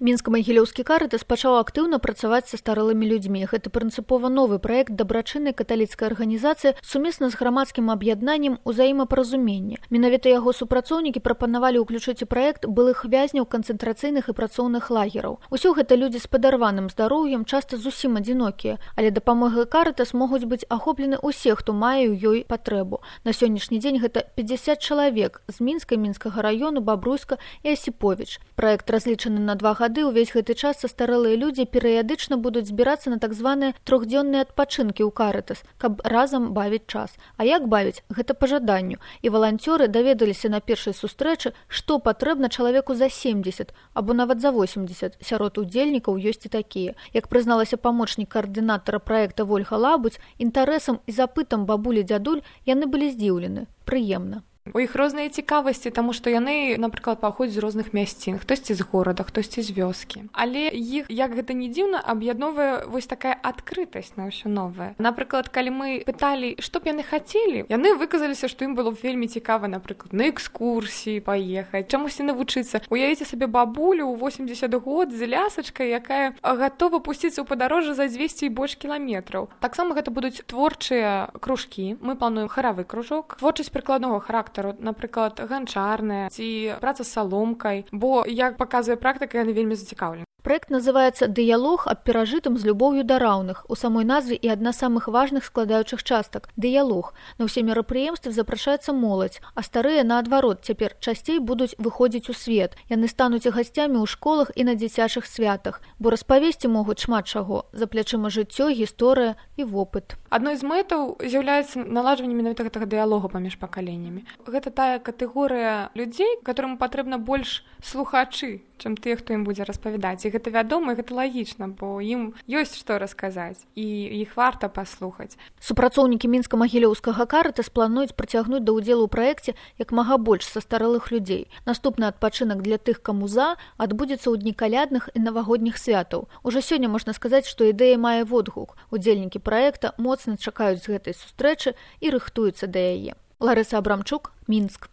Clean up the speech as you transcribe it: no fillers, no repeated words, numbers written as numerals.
Мінска-Магілёўскі карытас пачаў актыўна працаваць са старэлымі людзьмі. Гэта прынцыпова новы праект дабрачыннай каталіцкай арганізацыі сумесна з грамадскім аб'яднаннем «Узаемапаразуменне». Менавіта яго супрацоўнікі прапанавалі ўключыць у праект былых вязняў канцэнтрацыйных і працоўных лагераў. Усё гэта людзі з падарваным здароўем, часта зусім адзінокія, але дапамогай карытас могуць быць ахоплены ўсе, хто мае ў ёй патрэбу. На сённяшні дзень гэта 50 чалавек з Мінска, Мінскага раёну, Бабруйска і Асіповіч. Праект разлічаны на 2 гады. Увесь гэты час састарэлыя людзі перыядычна будуць збірацца на так званыя трохдзённыя адпачынкі ў карытас, каб разам бавіць час. А як бавіць? Гэта па жаданню. І валанцёры даведаліся на першай сустрэчы, што патрэбна чалавеку за 70 або нават за 80. Сярод удзельнікаў ёсць і такія. Як прызналася памочнік каардынатара праекта Вольга Лабудзь, інтарэсам і запытам бабулі-дзядуль яны былі здзіўлены. Прыемна. У іх розныя цікавасці, таму што яны, напрыклад, паходзяць з розных мясцін, хтосьці з горада, хтосьці з вёскі. Але іх, як гэта не дзіўна, аб'ядноўвае вось такая адкрытасць на ўсё новае. Напрыклад, калі мы пыталі, што б яны хацелі, яны выказаліся, што ім было б вельмі цікава, напрыклад, на экскурсіі паехаць, чамусьці навучыцца. Уявіце сабе бабулю ў 80 год з лясачкай, якая гатова пусціцца ў падарожжа за 200 і больш кіламетраў. Таксама гэта будуць творчыя кружкі. Мы плануем харавы кружок, творчасць прыкладнога характару, напрыклад, ганчарная ці праца з саломкай, бо, як паказвае практыка, яны вельмі зацікаўлены. Праект называецца «Дыялог аб перажытым з любоўю да раўных». У самой назве і адна з самых важных складаючых частак – дыялог. На ўсе мерапрыемствы запрашаецца моладзь, а старыя, наадварот, цяпер часцей будуць выходзіць у свет. Яны стануць гасцямі ў школах і на дзіцячых святах, бо распавесці могуць шмат чаго. За плячыма жыццё, гісторыя і вопыт. Адной з мэтаў з'яўляецца наладжванне менавіта гэтага дыялогу паміж пакаленнямі. Гэта тая катэгорыя людзей, которым патрэбна больш слухачы, чым тыя, хто ім будзе распавядаць. І гэта вядома, і гэта лагічна, бо ім ёсць што расказаць, і іх варта паслухаць. Супрацоўнікі Мінска-Магілёўскага карытас плануюць прыцягнуць да ўдзелу ў праекце як мага больш састарэлых людзей. Наступны адпачынак для тых, каму за, адбудзецца ў дні калядных і навагодніх святаў. Ужо сёння можна сказаць, што ідэя мае водгук. Удзельнікі праекта моцна чакаюць з гэтай сустрэчы і рыхтуюцца да яе. Ларыса Абрамчук, Мінск.